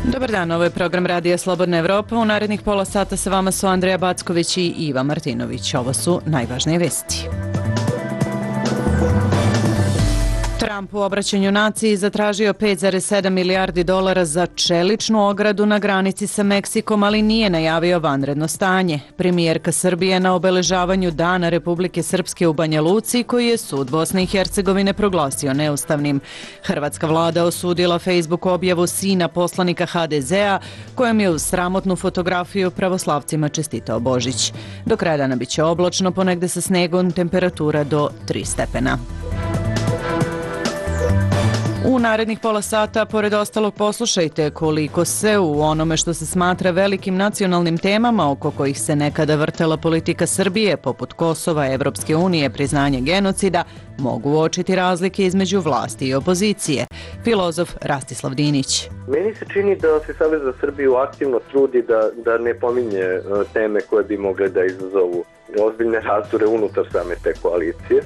Dobar dan, ovo je program Radija Slobodna Evropa. U narednih pola sata sa vama su Andreja Backović i Iva Martinović. Ovo su najvažnije vesti. Trump u obraćanju naciji zatražio 5,7 milijardi dolara za čeličnu ogradu na granici sa Meksikom, ali nije najavio vanredno stanje. Premijerka Srbije na obeležavanju Dana Republike Srpske u Banja Luci, koji je sud Bosne i Hercegovine proglasio neustavnim. Hrvatska vlada osudila Facebook objavu sina poslanika HDZ-a, kojom je uz sramotnu fotografiju pravoslavcima čestitao Božić. Do kraja dana biće oblačno, ponegde sa snegom, temperatura do 3 stepena. U narednih pola sata, pored ostalog, poslušajte koliko se u onome što se smatra velikim nacionalnim temama oko kojih se nekada vrtela politika Srbije, poput Kosova, Evropske unije, priznanje genocida, mogu uočiti razlike između vlasti i opozicije. Filozof Rastislav Dinić. Meni se čini da se Savez za Srbiju aktivno trudi da ne pominje teme koje bi mogle da izazovu ozbiljne razdore unutar same te koalicije.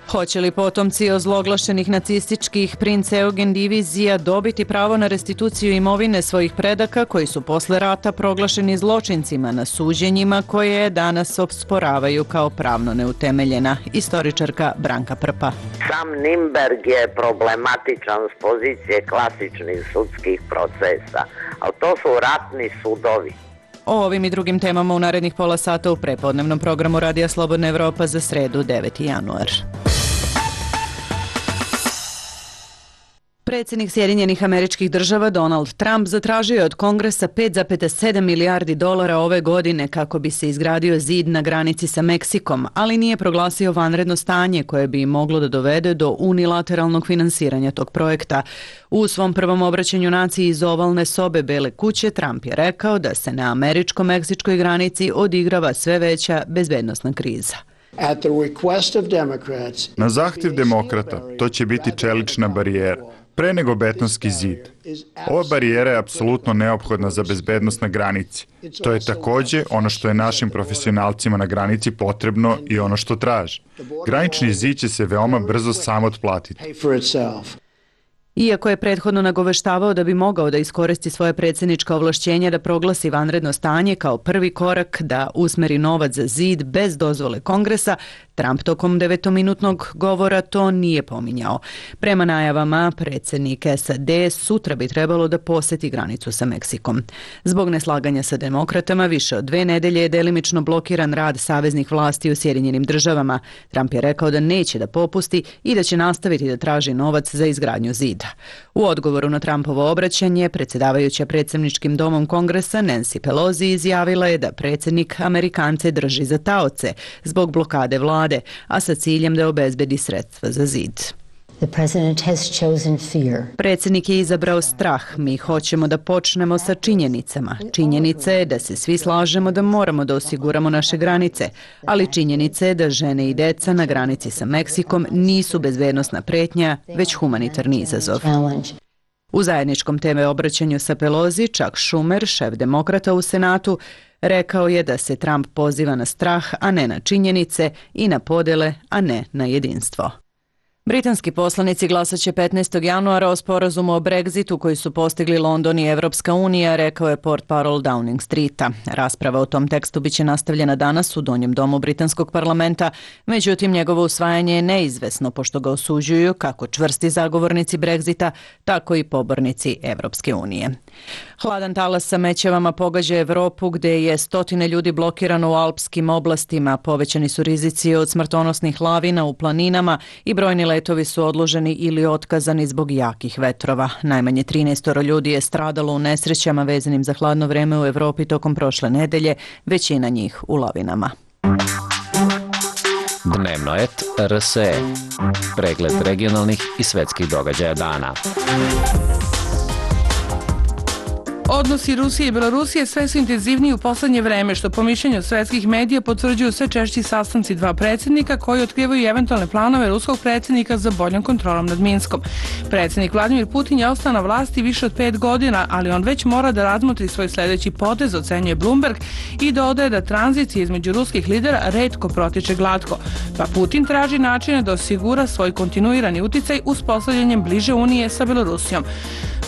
Hoće li potomci ozloglašenih nacističkih princ Eugen divizija dobiti pravo na restituciju imovine svojih predaka koji su posle rata proglašeni zločincima na suđenjima koje danas osporavaju kao pravno neutemeljena? Istoričarka Branka Prpa. Sam Nimberg je problematičan s pozicije klasičnih sudskih procesa, ali to su ratni sudovi. O ovim i drugim temama u narednih pola sata u prepodnevnom programu Radija Slobodna Evropa za sredu 9. januar. Predsjednik Sjedinjenih Američkih Država Donald Trump zatražio je od Kongresa 5,7 milijardi dolara ove godine kako bi se izgradio zid na granici sa Meksikom, ali nije proglasio vanredno stanje koje bi moglo da dovede do unilateralnog finansiranja tog projekta. U svom prvom obraćanju naciji iz ovalne sobe Bele kuće Trump je rekao da se na američko-meksičkoj granici odigrava sve veća bezbednosna kriza. Na zahtjev demokrata to će biti čelična barijera, pre nego betonski zid. Ova barijera je apsolutno neophodna za bezbednost na granici. To je takođe ono što je našim profesionalcima na granici potrebno i ono što traže. Granični zid će se veoma brzo sam otplatiti. Iako je prethodno nagoveštavao da bi mogao da iskoristi svoje predsjednička ovlašćenja da proglasi vanredno stanje kao prvi korak da usmeri novac za zid bez dozvole Kongresa, Trump tokom 9-minutnog govora to nije pominjao. Prema najavama, predsjednik SAD sutra bi trebalo da poseti granicu sa Meksikom. Zbog neslaganja sa demokratama, više od 2 nedelje je delimično blokiran rad saveznih vlasti u Sjedinjenim Državama. Trump je rekao da neće da popusti i da će nastaviti da traži novac za izgradnju zida. U odgovoru na Trumpovo obraćanje, predsjedavajuća predsjedničkim domom Kongresa Nancy Pelosi izjavila je da predsjednik Amerikance drži za taoce zbog blokade vlade, a sa ciljem da obezbedi sredstva za zid. Predsjednik je izabrao strah. Mi hoćemo da počnemo sa činjenicama. Činjenica je da se svi slažemo da moramo da osiguramo naše granice, ali činjenica je da žene i deca na granici sa Meksikom nisu bezbednosna pretnja, već humanitarni izazov. U zajedničkom TV obraćanju sa Pelosi, Chuck Schumer, šef demokrata u Senatu, rekao je da se Trump poziva na strah, a ne na činjenice, i na podele, a ne na jedinstvo. Britanski poslanici glasaće 15. januara o sporazumu o Brexitu koji su postigli London i Evropska unija, rekao je portparol Downing Streeta. Rasprava o tom tekstu biće nastavljena danas u Donjem domu Britanskog parlamenta, međutim njegovo usvajanje je neizvesno pošto ga osuđuju kako čvrsti zagovornici Brexita, tako i pobornici Evropske unije. Hladan talas sa mećevama pogađa Evropu gde je stotine ljudi blokirano u alpskim oblastima, povećani su rizici od smrtonosnih lavina u planinama i brojni letovi su odloženi ili otkazani zbog jakih vetrova. Najmanje 13 ljudi je stradalo u nesrećama vezanim za hladno vreme u Evropi tokom prošle nedelje, većina njih u lavinama. Dnevno et RSE. Pregled regionalnih i svetskih događaja dana. Odnosi Rusije i Belorusije sve su intenzivniji u poslednje vreme, što po mišljenju svetskih medija potvrđuju sve češći sastanci dva predsjednika koji otkrivaju eventualne planove ruskog predsjednika za boljom kontrolom nad Minskom. Predsjednik Vladimir Putin je ostao na vlasti više od 5 godina, ali on već mora da razmotri svoj sljedeći potez, ocenjuje Bloomberg, i dodaje da tranzicija između ruskih lidera retko protiče glatko. Pa Putin traži načine da osigura svoj kontinuirani uticaj uspostavljanjem bliže unije sa Belorusijom.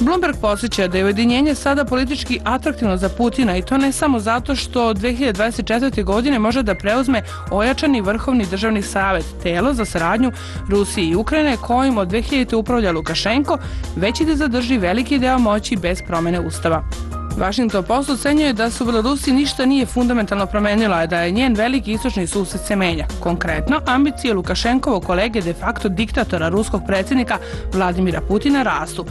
Bloomberg podsjeća da je ujedinjenje sada politički atraktivno za Putina i to ne samo zato što od 2024. godine može da preuzme ojačani vrhovni državni savet, telo za saradnju Rusije i Ukrajine kojim od 2000. upravlja Lukašenko, već i da zadrži veliki deo moći bez promene ustava. Washington Post ocenjuje da se u Belorusiji ništa nije fundamentalno promenila, a da je njen veliki istočni sused se menja. Konkretno, ambicije Lukašenkovog kolege de facto diktatora ruskog predsjednika Vladimira Putina rastu.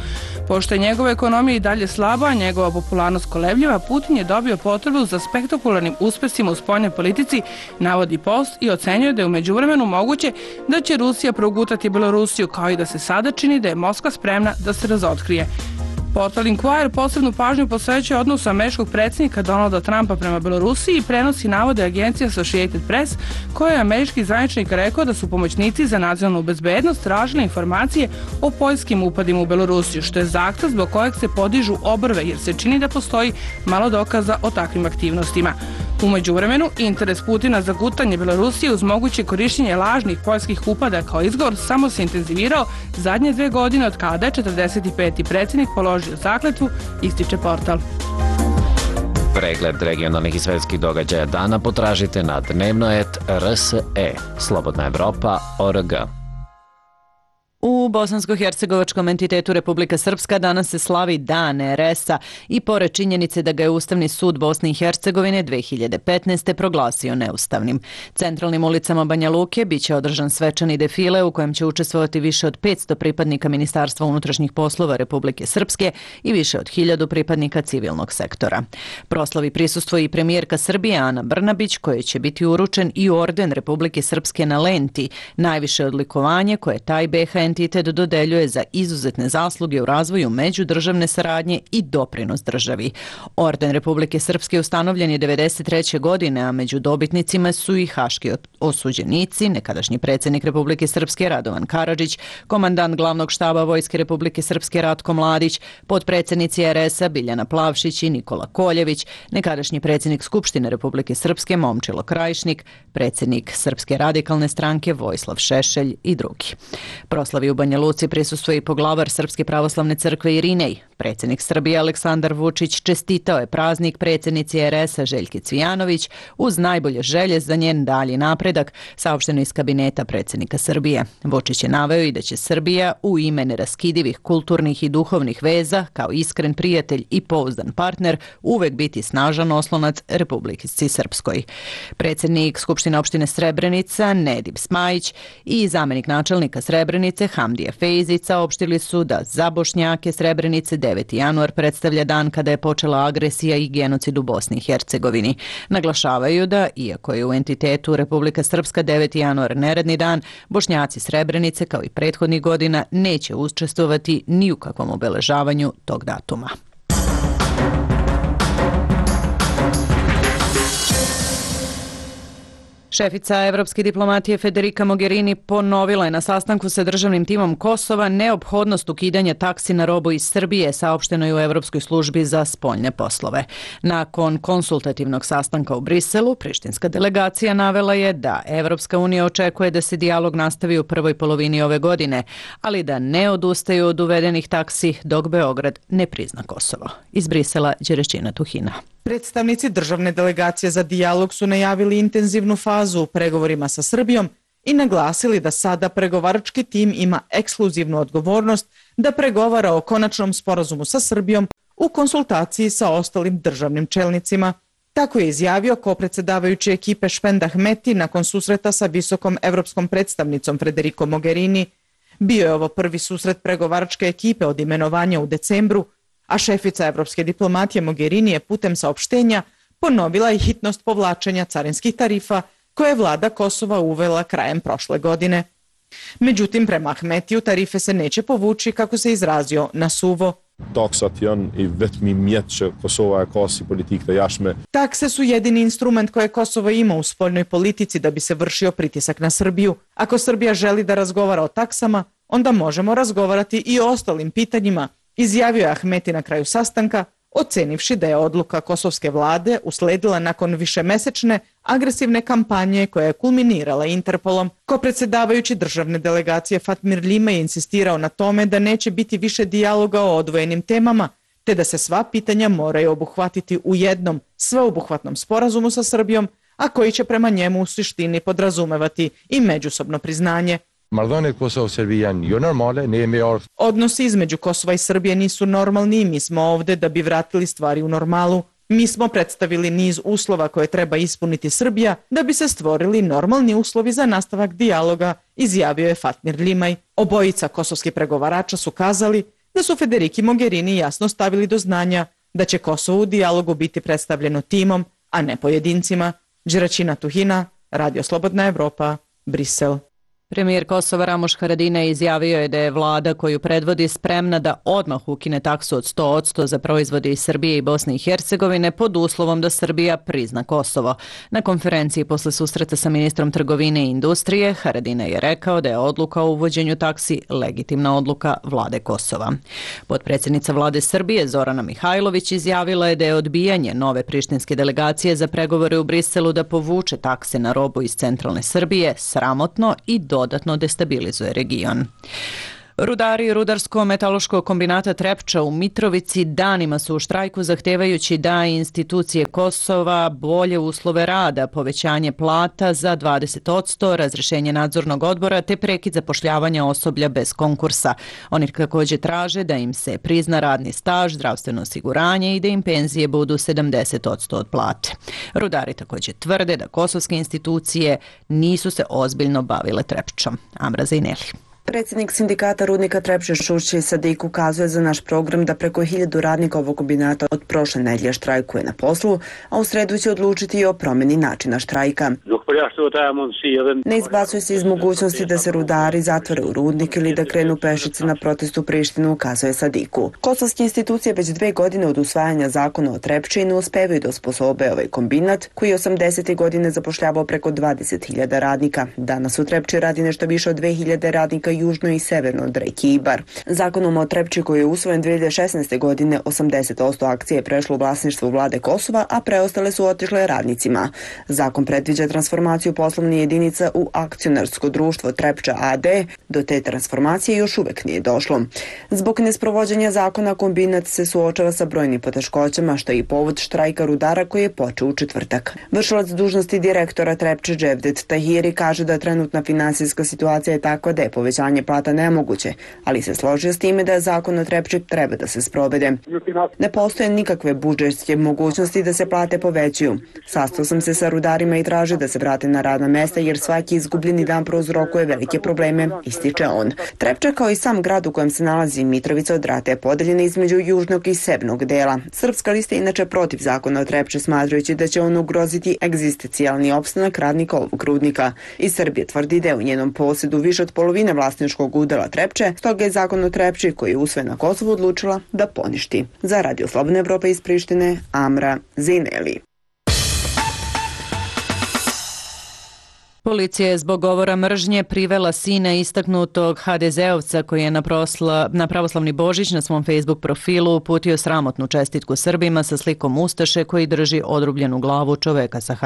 Pošto je njegova ekonomija i dalje slaba, a njegova popularnost kolebljiva, Putin je dobio potrebu za spektakularnim uspesima u spoljnoj politici, navodi Post i ocenjuje da je u međuvremenu moguće da će Rusija progutati Belorusiju, kao i da se sada čini da je Moskva spremna da se razotkrije. Portal Inquirer posebnu pažnju posvećuje odnosu američkog predsjednika Donalda Trumpa prema Belorusiji i prenosi navode agencije Associated Press, koja je američki zvaničnik rekao da su pomoćnici za nacionalnu bezbednost tražili informacije o poljskim upadima u Belorusiju, što je zahtev zbog kojeg se podižu obrve jer se čini da postoji malo dokaza o takvim aktivnostima. U međuvremenu, interes Putina za gutanje Belorusije uz moguće korišćenje lažnih poljskih upada kao izgovor samo se intenzivirao zadnje 2 godine od kada je 45. predsjednik položio zakletvu, ističe portal. Pregled regionalnih i svetskih događaja dana potražite na dnevnoet.rse, Slobodna Evropa.org. U bosansko-hercegovačkom entitetu Republika Srpska danas se slavi Dan RS-a i pored činjenice da ga je Ustavni sud Bosne i Hercegovine 2015. proglasio neustavnim. Centralnim ulicama Banja Luke biće održan svečani defile u kojem će učestvovati više od 500 pripadnika Ministarstva unutrašnjih poslova Republike Srpske i više od 1000 pripadnika civilnog sektora. Proslavi prisustvuje i premijerka Srbije Ana Brnabić, kojoj će biti uručen i orden Republike Srpske na lenti, najviše odlikovanje koje taj BiH entitet dodeljuje za izuzetne zasluge u razvoju međudržavne saradnje i doprinos državi. Orden Republike Srpske ustanovljen je 1993. godine, a među dobitnicima su i haški osuđenici, nekadašnji predsjednik Republike Srpske Radovan Karadžić, komandant glavnog štaba Vojske Republike Srpske Ratko Mladić, potpredsjednici RS-a Biljana Plavšić i Nikola Koljević, nekadašnji predsjednik Skupštine Republike Srpske Momčilo Krajišnik, predsjednik Srpske radikalne stranke Vojislav Šešelj i drugi. Proslavi u Banja Luci prisustvuje i poglavar Srpske pravoslavne crkve Irinej. Predsjednik Srbije Aleksandar Vučić čestitao je praznik predsjednici RS-a Željki Cvijanović uz najbolje želje za njen dalji napredak, saopšteno iz kabineta predsjednika Srbije. Vučić je naveo i da će Srbija u ime neraskidivih kulturnih i duhovnih veza, kao iskren prijatelj i pouzdan partner, uvek biti snažan oslonac Republici Srpskoj. Predsjednik Skupštine opštine Srebrenica Nedim Smajić i zamjenik načelnika Srebrenice Hamdija Fejzić saopštili su da za Bošnjake Srebrenice 9. januar predstavlja dan kada je počela agresija i genocid u Bosni i Hercegovini. Naglašavaju da, iako je u entitetu Republika Srpska 9. januar neradni dan, Bošnjaci Srebrenice, kao i prethodnih godina, neće učestvovati ni u kakvom obeležavanju tog datuma. Šefica evropske diplomatije Federica Mogherini ponovila je na sastanku sa državnim timom Kosova neophodnost ukidanja taksi na robu iz Srbije, saopšteno je u Evropskoj službi za spoljne poslove. Nakon konsultativnog sastanka u Briselu, prištinska delegacija navela je da Evropska unija očekuje da se dijalog nastavi u prvoj polovini ove godine, ali da ne odustaju od uvedenih taksi dok Beograd ne prizna Kosovo. Iz Brisela, Đerešćina Tuhina. Predstavnici državne delegacije za dijalog su najavili intenzivnu fazu u pregovorima sa Srbijom i naglasili da sada pregovarački tim ima ekskluzivnu odgovornost da pregovara o konačnom sporazumu sa Srbijom u konsultaciji sa ostalim državnim čelnicima. Tako je izjavio kopredsedavajući ekipe Špend Ahmeti nakon susreta sa visokom evropskom predstavnicom Federico Mogherini. Bio je ovo prvi susret pregovaračke ekipe od imenovanja u decembru, a šefica evropske diplomatije Mogherini je putem saopštenja ponovila i hitnost povlačenja carinskih tarifa koje je vlada Kosova uvela krajem prošle godine. Međutim, prema Ahmetiju tarife se neće povući, kako se izrazio, na suvo. Takse su jedini instrument koje Kosovo ima u spoljnoj politici da bi se vršio pritisak na Srbiju. Ako Srbija želi da razgovara o taksama, onda možemo razgovarati i o ostalim pitanjima, izjavio je Ahmeti na kraju sastanka, ocenivši da je odluka kosovske vlade usledila nakon višemesečne agresivne kampanje koja je kulminirala Interpolom. Ko-predsjedavajući državne delegacije Fatmir Lima je insistirao na tome da neće biti više dijaloga o odvojenim temama, te da se sva pitanja moraju obuhvatiti u jednom sveobuhvatnom sporazumu sa Srbijom, a koji će prema njemu u suštini podrazumevati i međusobno priznanje. Odnosi između Kosova i Srbije nisu normalni i mi smo ovde da bi vratili stvari u normalu. Mi smo predstavili niz uslova koje treba ispuniti Srbija da bi se stvorili normalni uslovi za nastavak dijaloga, izjavio je Fatmir Limaj. Obojica kosovskih pregovarača su kazali da su Federiki Mogherini jasno stavili do znanja da će Kosovo u dijalogu biti predstavljeno timom, a ne pojedincima. Đeraćina Tuhina, Radio Slobodna Evropa, Brisel. Premijer Kosova Ramoš Haradinaj izjavio je da je vlada koju predvodi spremna da odmah ukine taksu od 100% za proizvode iz Srbije i Bosne i Hercegovine pod uslovom da Srbija prizna Kosovo. Na konferenciji posle susreta sa ministrom trgovine i industrije, Haradinaj je rekao da je odluka o uvođenju taksi legitimna odluka vlade Kosova. Potpredsjednica vlade Srbije Zorana Mihajlović izjavila je da je odbijanje nove prištinske delegacije za pregovore u Briselu da povuče takse na robu iz centralne Srbije sramotno i dodatno destabilizuje region. Rudari Rudarsko-metaloškog kombinata Trepča u Mitrovici danima su u štrajku zahtevajući da institucije Kosova bolje uslove rada, povećanje plata za 20%, razrešenje nadzornog odbora te prekid zapošljavanja osoblja bez konkursa. Oni također traže da im se prizna radni staž, zdravstveno osiguranje i da im penzije budu 70% od plate. Rudari također tvrde da kosovske institucije nisu se ozbiljno bavile Trepčom. Amra Zejneli. Predsjednik sindikata rudnika Trepče Šušće Sadik ukazuje za naš program da preko 1000 radnika ovog kombinata od prošle nedelje štrajkuje na poslu, a u sredu će odlučiti i o promjeni načina štrajka. Ne izbacuje se iz mogućnosti da se rudari zatvore u rudnik ili da krenu pešice na protest u Prištinu, ukazuje Sadiku. Kosovske institucije već 2 godine od usvajanja zakona o Trepči ne uspevaju da osposobe ovaj kombinat koji je 80. godine zapošljavao preko 20.000 radnika. Danas u Trepči radi nešto više od 2000 radnika južno i severno od reke Ibar. Zakonom o Trepči koji je usvojen 2016. godine 80% akcije je prešlo u vlasništvo vlade Kosova, a preostale su otišle radnicima. Zakon predviđa transformaciju poslovnih jedinica u akcionarsko društvo Trepča AD. Do te transformacije još uvek nije došlo. Zbog nesprovođenja zakona kombinat se suočava sa brojnim poteškoćama, što je i povod štrajka rudara koji je počeo u četvrtak. Vršilac dužnosti direktora Trepče Dževdet Tahiri kaže da trenutna finansijska situacija je takva da je povećanje plata nemoguće, ali se složio s time da zakon o Trepči treba da se sprovede. Ne postoje nikakve budžetske mogućnosti da se plate povećuju. Sastao sam se sa rudarima i traže da se vrate na radna mesta jer svaki izgubljeni dan prouzrokuje velike probleme, ističe on. Trepča kao i sam grad u kojem se nalazi Mitrovica od rata je podeljena između južnog i severnog dela. Srpska lista je inače protiv zakona o Trepči, smatrajući da će on ugroziti egzistencijalni opstanak radnika ovog rudnika. I Srbija tvrdi da je u njenom posjedu više od polovine vlasničkog udela Trepče, stoga je zakon o Trepči koji je usvojen na Kosovu odlučila da poništi. Za Radio Slobodna Evropa iz Prištine, Amra Zejneli. Policija je zbog govora mržnje privela sina istaknutog HDZ-ovca koji je na pravoslavni Božić na svom Facebook profilu uputio sramotnu čestitku Srbima sa slikom ustaše koji drži odrubljenu glavu čoveka sa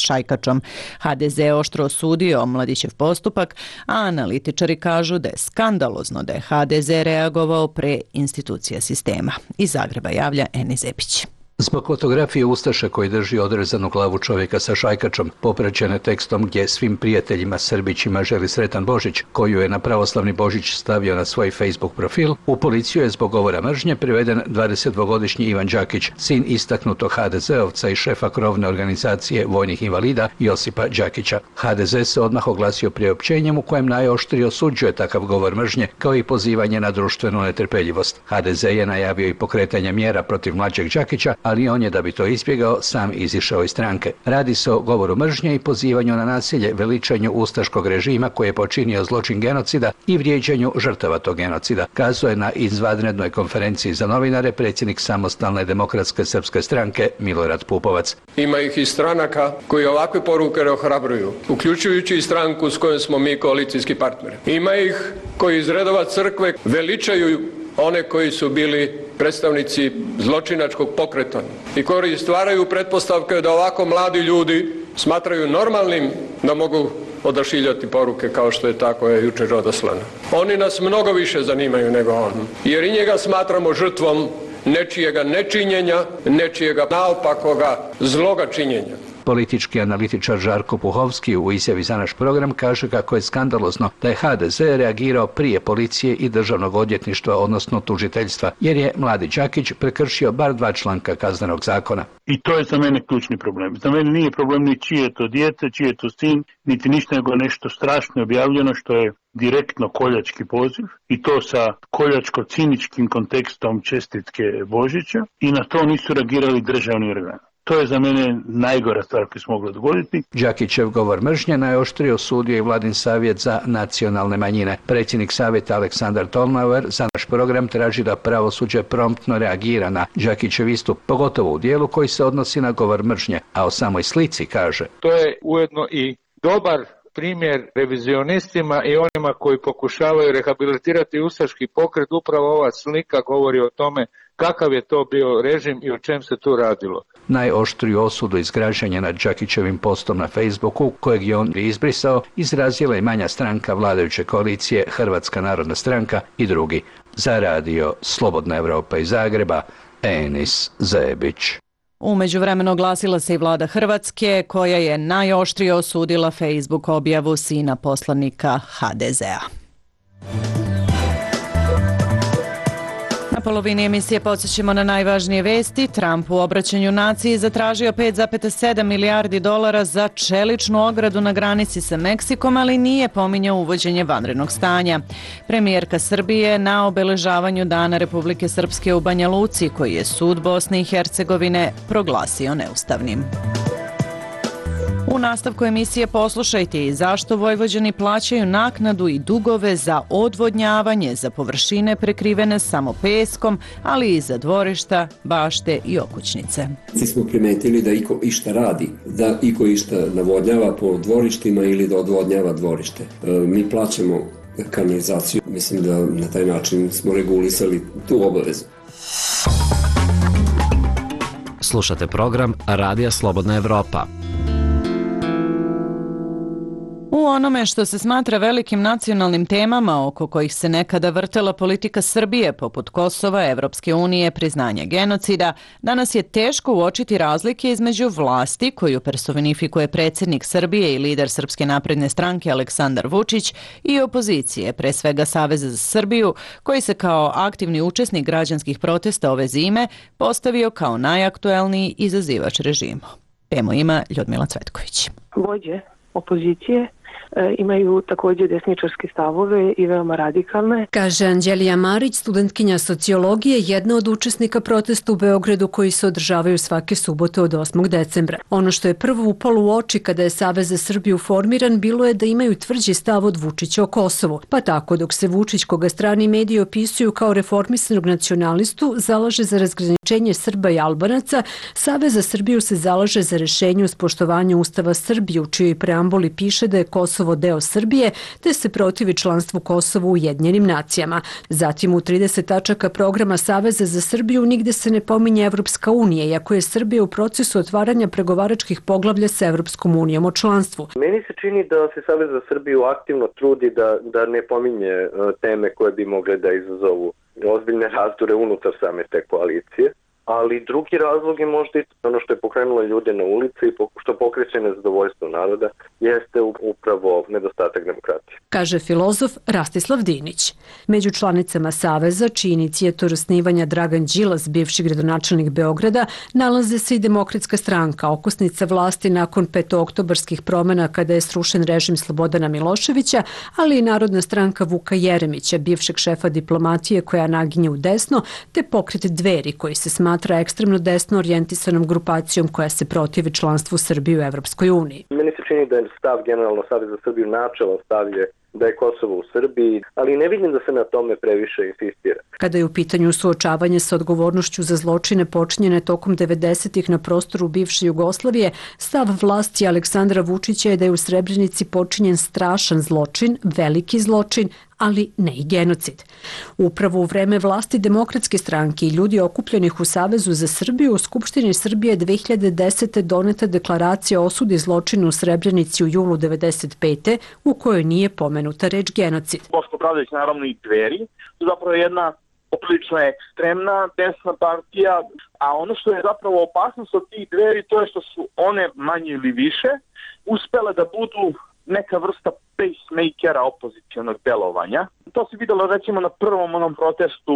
šajkačom. HDZ je oštro osudio mladićev postupak, a analitičari kažu da je skandalozno da je HDZ reagovao pre institucija sistema. Iz Zagreba javlja Eni Zepić. Zbog fotografije ustaše koji drži odrezanu glavu čovjeka sa šajkačom, popraćene tekstom gdje svim prijateljima Srbićima želi sretan Božić, koju je na pravoslavni Božić stavio na svoj Facebook profil, u policiju je zbog govora mržnje priveden 22-godišnji Ivan Đakić, sin istaknutog HDZ-ovca i šefa krovne organizacije vojnih invalida Josipa Đakića. HDZ se odmah oglasio priopćenjem u kojem najoštrije osuđuje takav govor mržnje kao i pozivanje na društvenu netrpeljivost. HDZ je najavio i pokretanje mjera protiv mlađeg Đakića, ali on je, da bi to izbjegao, sam izišao iz stranke. Radi se o govoru mržnje i pozivanju na nasilje, veličanju ustaškog režima koji je počinio zločin genocida i vrijeđanju žrtava tog genocida, kazuje na izvanrednoj konferenciji za novinare predsjednik Samostalne demokratske srpske stranke Milorad Pupovac. Ima ih i stranaka koji ovakve poruke ne ohrabruju, uključujući i stranku s kojom smo mi koalicijski partneri. Ima ih koji iz redova crkve veličaju one koji su bili predstavnici zločinačkog pokreta i koji stvaraju pretpostavke da ovako mladi ljudi smatraju normalnim da mogu odašiljati poruke kao što je tako jučer odaslano. Oni nas mnogo više zanimaju nego on, jer i njega smatramo žrtvom nečijega nečinjenja, nečijega naopakoga zloga činjenja. Politički analitičar Žarko Puhovski u izjavi za naš program kaže kako je skandalozno da je HDZ reagirao prije policije i državnog odvjetništva, odnosno tužiteljstva, jer je mladi Đakić prekršio bar 2 članka kaznenog zakona. I to je za mene ključni problem. Za mene nije problem ni čije je to dijete, čije je to sin, niti ništa nego nešto strašno objavljeno što je direktno koljački poziv i to sa koljačko-ciničkim kontekstom čestitke Božića i na to nisu reagirali državni organi. To je za mene najgora stvar koja se mogla dogoditi. Đakićev govor mržnje najoštrije osudio i Vladin savjet za nacionalne manjine. Predsjednik savjeta Aleksandar Tolnauer za naš program traži da pravosuđe promptno reagira na Đakićev istup, pogotovo u dijelu koji se odnosi na govor mržnje, a o samoj slici kaže: To je ujedno i dobar primjer revizionistima i onima koji pokušavaju rehabilitirati ustaški pokret. Upravo ova slika govori o tome kakav je to bio režim i o čem se tu radilo. Najoštriju osudu izgražanja nad Đakićevim postom na Facebooku, kojeg je on izbrisao, izrazila i manja stranka vladajuće koalicije Hrvatska narodna stranka i drugi. Za radio Slobodna Evropa iz Zagreba, Enis Zebić. U međuvremenu oglasila se i vlada Hrvatske, koja je najoštrije osudila Facebook objavu sina poslanika HDZ-a. Na polovini emisije podsjećamo na najvažnije vesti. Trump u obraćanju naciji zatražio $5,7 milijardi za čeličnu ogradu na granici sa Meksikom, ali nije pominjao uvođenje vanrednog stanja. Premijerka Srbije na obeležavanju Dana Republike Srpske u Banja Luci, koji je sud Bosne i Hercegovine proglasio neustavnim. U nastavku emisije poslušajte i zašto Vojvođani plaćaju naknadu i dugove za odvodnjavanje za površine prekrivene samo peskom, ali i za dvorišta, bašte i okućnice. Svi smo primetili da iko išta radi, da iko išta navodnjava po dvorištima ili da odvodnjava dvorište. Mi plaćamo kanalizaciju. Mislim da na taj način smo regulisali tu obavezu. Slušate program Radija Slobodna Evropa. U onome što se smatra velikim nacionalnim temama oko kojih se nekada vrtela politika Srbije, poput Kosova, Evropske unije, priznanja genocida, danas je teško uočiti razlike između vlasti, koju personifikuje predsjednik Srbije i lider Srpske napredne stranke Aleksandar Vučić, i opozicije, pre svega Saveza za Srbiju, koji se kao aktivni učesnik građanskih protesta ove zime postavio kao najaktuelniji izazivač režimu. Temu ima Ljudmila Cvetković. Vođe opozicije imaju također desničarske stavove i veoma radikalne. Kaže Anđelija Marić, studentkinja sociologije, jedna od učesnika protesta u Beogradu koji se održavaju svake subote od 8. decembra. Ono što je prvo upalo u oči kada je Savez za Srbiju formiran bilo je da imaju tvrđi stav od Vučića o Kosovu. Pa tako, dok se Vučić, koga strani mediji opisuju kao reformisanog nacionalistu, zalaže za razgraničenje Srba i Albanaca, Savez za Srbiju se zalaže za rešenje uz poštovanje Ustava Srbije, u čijoj preambuli piše da je Kosovo deo Srbije, te se protivi članstvu Kosova u Ujedinjenim nacijama. Zatim u 30 tačaka programa Saveza za Srbiju nigde se ne pominje Evropska unija, iako je Srbija u procesu otvaranja pregovaračkih poglavlja sa Evropskom unijom o članstvu. Meni se čini da se Savez za Srbiju aktivno trudi da ne pominje teme koje bi mogle da izazovu ozbiljne razdore unutar same te koalicije. Ali drugi razlog je možda i ono što je pokrenulo ljude na ulici i što pokreće nezadovoljstvo naroda jeste upravo nedostatak demokratije. Kaže filozof Rastislav Dinić. Među članicama Saveza, čiji inicijator osnivanja Dragan Đilas, bivši gradonačelnik Beograda, nalaze se i Demokratska stranka, okosnica vlasti nakon petooktobarskih promjena kada je srušen režim Slobodana Miloševića, ali i Narodna stranka Vuka Jeremića, bivšeg šefa diplomatije koja naginje u desno, te pokret Dveri koji se smatra ekstremno desno orijentisanom grupacijom koja se protivi članstvu Srbije u Evropskoj uniji. Meni se čini da je stav generalno Saveza za Srbiju načelan stav je da je Kosovo u Srbiji, ali ne vidim da se na tome previše insistira. Kada je u pitanju suočavanje sa odgovornošću za zločine počinjene tokom 90-ih na prostoru bivše Jugoslavije, stav vlasti Aleksandra Vučića je da je u Srebrenici počinjen strašan zločin, veliki zločin, ali ne i genocid. Upravo u vreme vlasti Demokratske stranke i ljudi okupljenih u Savezu za Srbiju u Skupštini Srbije 2010. doneta deklaracija o osudi zločina u Srebrenici u julu 1995. u kojoj nije pomenuta reč genocid. Boško Obradović, naravno i Dveri, su zapravo jedna poprilično ekstremna desna partija, a ono što je zapravo opasnost od tih Dveri to je što su one manje ili više uspele da budu neka vrsta pacemakera opozicionog delovanja. To se videlo recimo na prvom onom protestu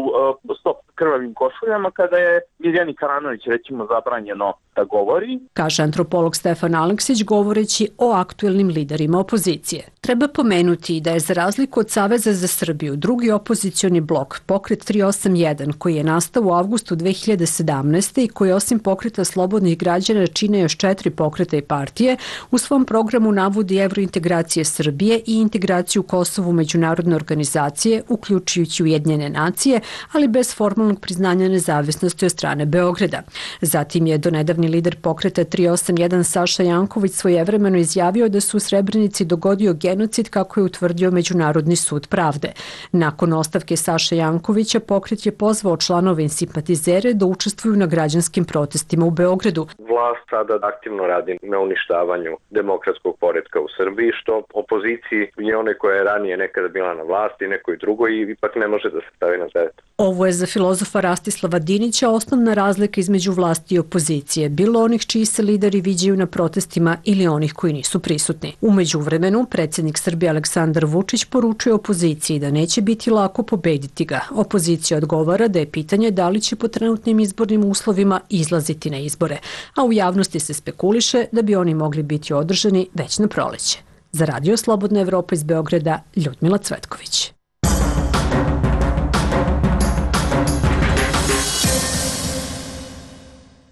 Stop krvavim košuljama kada je Mirjani Karanović recimo zabranjeno da govori. Kaže antropolog Stefan Aleksić govoreći o aktuelnim liderima opozicije. Treba pomenuti da je za razliku od Saveza za Srbiju drugi opozicioni blok Pokret 381 koji je nastao u avgustu 2017. i koji osim Pokreta slobodnih građana čine još 4 pokreta i partije, u svom programu navodi evrointegracije Srbije i integraciju Kosovu u međunarodne organizacije, uključujući Ujedinjene nacije, ali bez formalnog priznanja nezavisnosti od strane Beograda. Zatim je donedavni lider Pokreta 381 Saša Janković svojevremeno izjavio da su u Srebrenici dogodio genocid kako je utvrdio Međunarodni sud pravde. Nakon ostavke Saše Jankovića, Pokret je pozvao članove i simpatizere da učestvuju na građanskim protestima u Beogradu. Vlast sada aktivno radi na uništavanju demokratskog poretka u Srbiji, što opoziciji i one koja je ranije nekada bila na vlasti, nekoj drugoj, ipak ne može da se stavi na teret. Ovo je za filozofa Rastislava Dinića osnovna razlika između vlasti i opozicije, bilo onih čiji se lideri viđaju na protestima ili onih koji nisu prisutni. U međuvremenu, predsjednik Srbije Aleksandar Vučić poručuje opoziciji da neće biti lako pobediti ga. Opozicija odgovara da je pitanje da li će po trenutnim izbornim uslovima izlaziti na izbore, a u javnosti se spekuliše da bi oni mogli biti održani već na proleće. Za Radio Slobodna Evropa iz Beograda, Ljudmila Cvetković.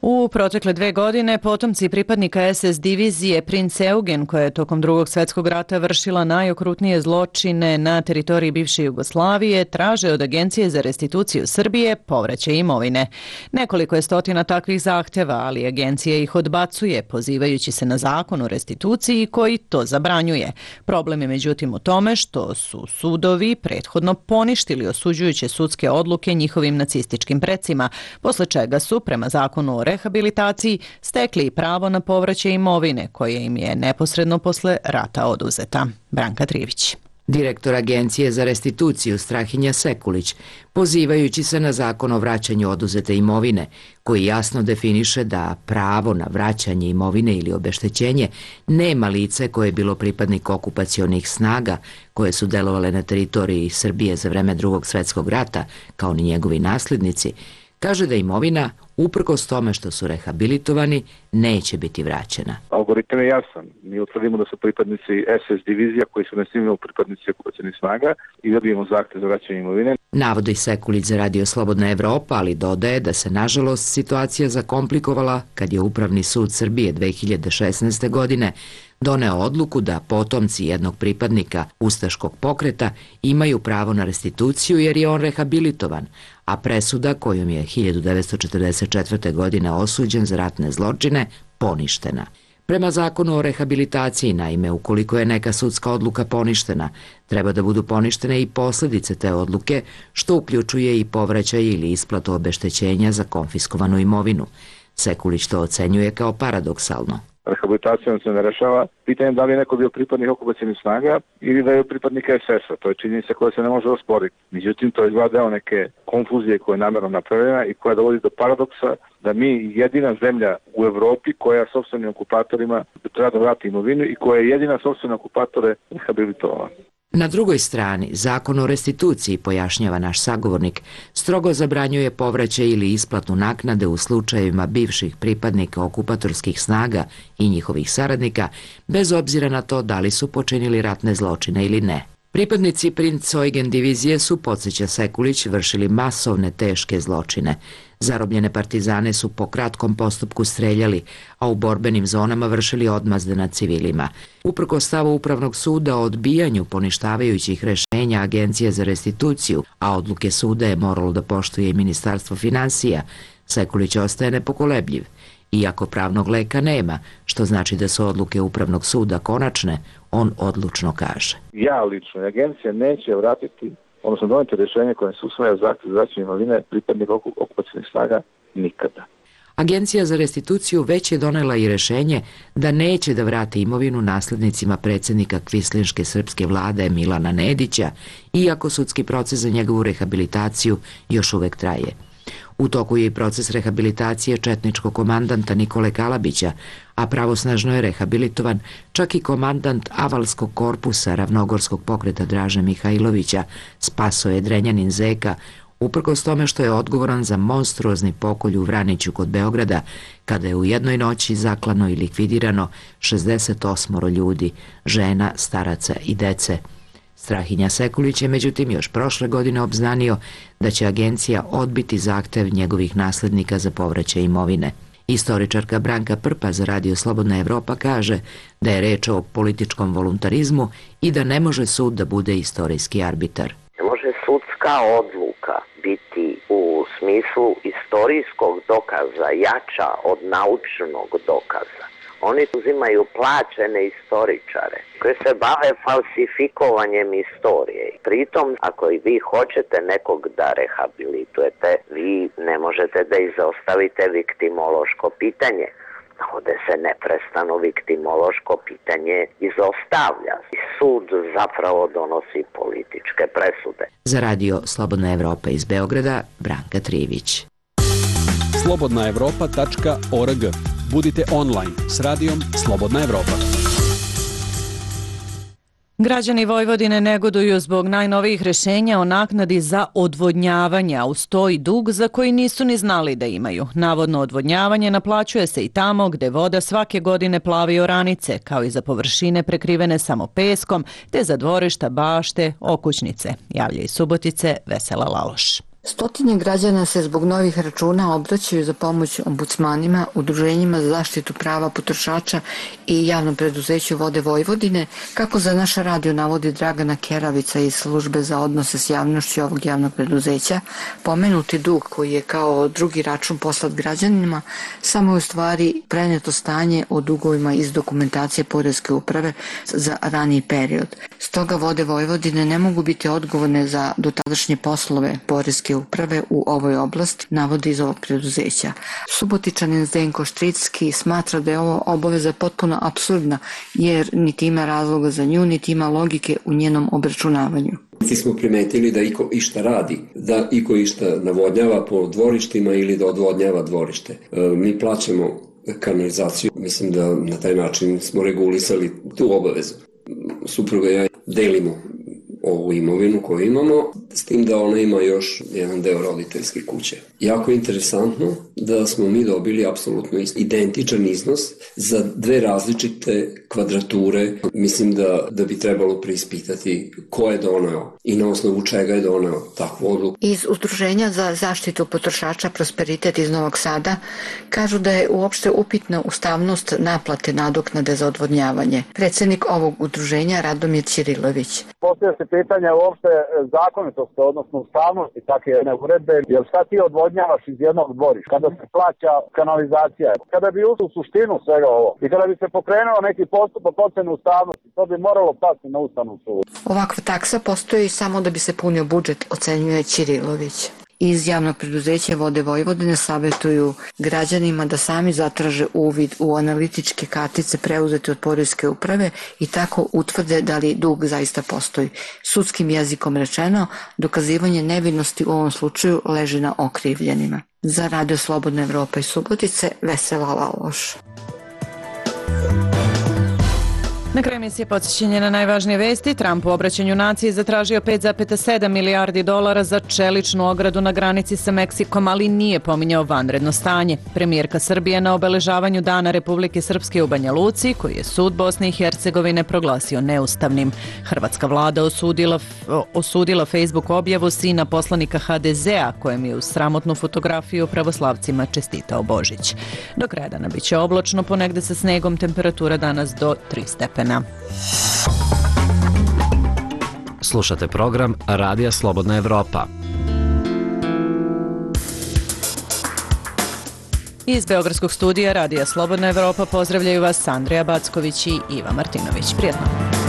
U protekle 2 godine potomci pripadnika SS divizije Princ Eugen, koja je tokom Drugog svjetskog rata vršila najokrutnije zločine na teritoriji bivše Jugoslavije, traže od Agencije za restituciju Srbije povraćaj imovine. Nekoliko je stotina takvih zahteva, ali agencija ih odbacuje, pozivajući se na zakon o restituciji koji to zabranjuje. Problem je međutim u tome što su sudovi prethodno poništili osuđujuće sudske odluke njihovim nacističkim precima, posle čega su, prema zakonu o rehabilitaciji, stekli pravo na povraćaj imovine koje im je neposredno posle rata oduzeta. Branka Trivić. Direktor Agencije za restituciju Strahinja Sekulić, pozivajući se na zakon o vraćanju oduzete imovine, koji jasno definiše da pravo na vraćanje imovine ili obeštećenje nema lice koje je bilo pripadnik okupacionih snaga koje su delovale na teritoriji Srbije za vreme Drugog svjetskog rata, kao ni njegovi nasljednici, kaže da imovina, uprkos tome što su rehabilitovani, neće biti vraćena. Algoritam je jasan. Mi utvrdimo da su pripadnici SS divizija koji su nesnimljeni pripadnici okupacionih snaga i dobijemo zahtev za vraćanje imovine. Navodi Sekulić za Radio Slobodna Evropa, ali dodaje da se nažalost situacija zakomplikovala kad je Upravni sud Srbije 2016. godine doneo odluku da potomci jednog pripadnika ustaškog pokreta imaju pravo na restituciju jer je on rehabilitovan, a presuda kojom je 1944. godine osuđen za ratne zločine poništena. Prema zakonu o rehabilitaciji, naime, ukoliko je neka sudska odluka poništena, treba da budu poništene i posljedice te odluke, što uključuje i povraćaj ili isplatu obeštećenja za konfiskovanu imovinu. Sekulić to ocenjuje kao paradoksalno. Rehabilitacijom se ne rešava pitanje da li je neko bio pripadnik okupacionih snaga ili da je pripadnik SS-a. To je činjenica koja se ne može osporiti. Međutim, to je dva deo neke konfuzije koja je namjerno napravljena i koja dovodi do paradoksa da mi jedina zemlja u Evropi koja sopstvenim okupatorima treba da vrati imovinu i koja je jedina sopstvene okupatore rehabilitovala. Na drugoj strani, zakon o restituciji, pojašnjava naš sagovornik, strogo zabranjuje povraćaj ili isplatu naknade u slučajevima bivših pripadnika okupatorskih snaga i njihovih saradnika, bez obzira na to da li su počinili ratne zločine ili ne. Pripadnici Princ Eugen divizije su, podsjeća Sekulić, vršili masovne teške zločine. Zarobljene partizane su po kratkom postupku streljali, a u borbenim zonama vršili odmazde nad civilima. Uprkos stavu Upravnog suda o odbijanju poništavajućih rešenja Agencije za restituciju, a odluke suda je moralo da poštuje i Ministarstvo finansija, Sekulić ostaje nepokolebljiv. Iako pravnog leka nema, što znači da su odluke Upravnog suda konačne, on odlučno kaže. Ja lično, agencija neće vratiti, odnosno doneti rješenje koje se usvaja zahtjev za vraćanje imovine pripadnika okupacionih snaga nikada. Agencija za restituciju već je donela i rešenje da neće da vrati imovinu naslednicima predsjednika kvislinške srpske vlade Milana Nedića, iako sudski proces za njegovu rehabilitaciju još uvek traje. U toku je i proces rehabilitacije četničkog komandanta Nikole Kalabića, a pravosnažno je rehabilitovan čak i komandant Avalskog korpusa Ravnogorskog pokreta Draže Mihajlovića, Spasoje Drenjanin Zeka, uprkos tome što je odgovoran za monstruozni pokolj u Vraniću kod Beograda, kada je u jednoj noći zaklano i likvidirano 68 ljudi, žena, staraca i dece. Strahinja Sekulić je međutim još prošle godine obznanio da će agencija odbiti zahtev njegovih naslednika za povraćaj imovine. Istoričarka Branka Prpa za Radio Slobodna Evropa kaže da je reč o političkom voluntarizmu i da ne može sud da bude istorijski arbitar. Ne može sudska odluka biti u smislu istorijskog dokaza jača od naučnog dokaza. Oni uzimaju plaćene istoričare koji se bave falsifikovanjem istorije. Pritom, ako i vi hoćete nekog da rehabilitujete, vi ne možete da izostavite viktimološko pitanje. Ovde se neprestano viktimološko pitanje izostavlja. Sud zapravo donosi političke presude. Za Radio Slobodna Evropa iz Beograda, Branka Trivić. slobodnaevropa.org. Budite online s radijom Slobodna Evropa. Građani Vojvodine negoduju zbog najnovijih rešenja o naknadi za odvodnjavanje, a uz to i dug za koji nisu ni znali da imaju. Navodno odvodnjavanje naplaćuje se i tamo gde voda svake godine plavi oranice, kao i za površine prekrivene samo peskom, te za dvorišta, bašte, okućnice. Javlja iz Subotice Vesela Laloš. Stotine građana se zbog novih računa obraćaju za pomoć ombudsmanima, udruženjima za zaštitu prava potrošača i javnom preduzeću Vode Vojvodine, kako za naš radio navodi Dragana Keravica iz službe za odnose s javnošću ovog javnog preduzeća. Pomenuti dug koji je kao drugi račun poslat građanima samo je u stvari preneto stanje o dugovima iz dokumentacije Poreske uprave za raniji period. Stoga Vode Vojvodine ne mogu biti odgovorne za dotadašnje poslove Poreske uprave u ovoj oblasti, navodi iz ovog preduzeća. Subotičanin Zdenko Štricki smatra da je ovo obaveza potpuno apsurdna, jer niti ima razloga za nju, niti ima logike u njenom obračunavanju. Mi smo primetili da iko išta radi, da iko išta navodnjava po dvorištima ili da odvodnjava dvorište. Mi plaćamo kanalizaciju, mislim da na taj način smo regulisali tu obavezu. Supruga i ja delimo ovu imovinu koju imamo, s tim da ona ima još jedan deo roditeljske kuće. Jako je interesantno da smo mi dobili apsolutno identičan iznos za dve različite kvadrature. Mislim da bi trebalo preispitati ko je doneo i na osnovu čega je doneo takvu odluku. Iz Udruženja za zaštitu potrošača Prosperitet iz Novog Sada kažu da je uopšte upitna ustavnost naplate nadoknade za odvodnjavanje. Predsjednik ovog udruženja Radomir Ćirilović. Postoje se pitanja uopšte zakonitosti, odnosno ustavnosti takve jedne uredbe, jer šta ti odvodnjavaš iz jednog dvorišta kada se plaća kanalizacija? Kada bi ušli u suštinu svega ovo i kada bi se pokrenuo neki postupak ocene ustavnosti, to bi moralo pasti na Ustavnom sudu. Ovakva taksa postoji samo da bi se punio budžet, ocenjuje Ćirilović. Iz javnog preduzeća Vode Vojvodine savjetuju građanima da sami zatraže uvid u analitičke kartice preuzete od Poreske uprave i tako utvrde da li dug zaista postoji. Sudskim jezikom rečeno, dokazivanje nevinosti u ovom slučaju leži na okrivljenima. Za Radio Slobodna Evropa iz Subotice, Vesela Laloš. Na kraju emisije podsjećanje na najvažnije vesti. Trump u obraćanju naciji zatražio 5,7 milijardi dolara za čeličnu ogradu na granici sa Meksikom, ali nije pominjao vanredno stanje. Premijerka Srbije na obeležavanju Dana Republike Srpske u Banja Luci, koji je sud Bosne i Hercegovine proglasio neustavnim. Hrvatska vlada osudila Facebook objavu sina poslanika HDZ-a, kojem je uz sramotnu fotografiju pravoslavcima čestitao Božić. Do kraja dana biće oblačno, ponegde sa snegom, temperatura danas do 3 stepena. Slušate program Radija Slobodna Evropa. Iz Beogradskog studija Radija Slobodna Evropa pozdravljaju vas Andrija Backović i Iva Martinović. Prijetno!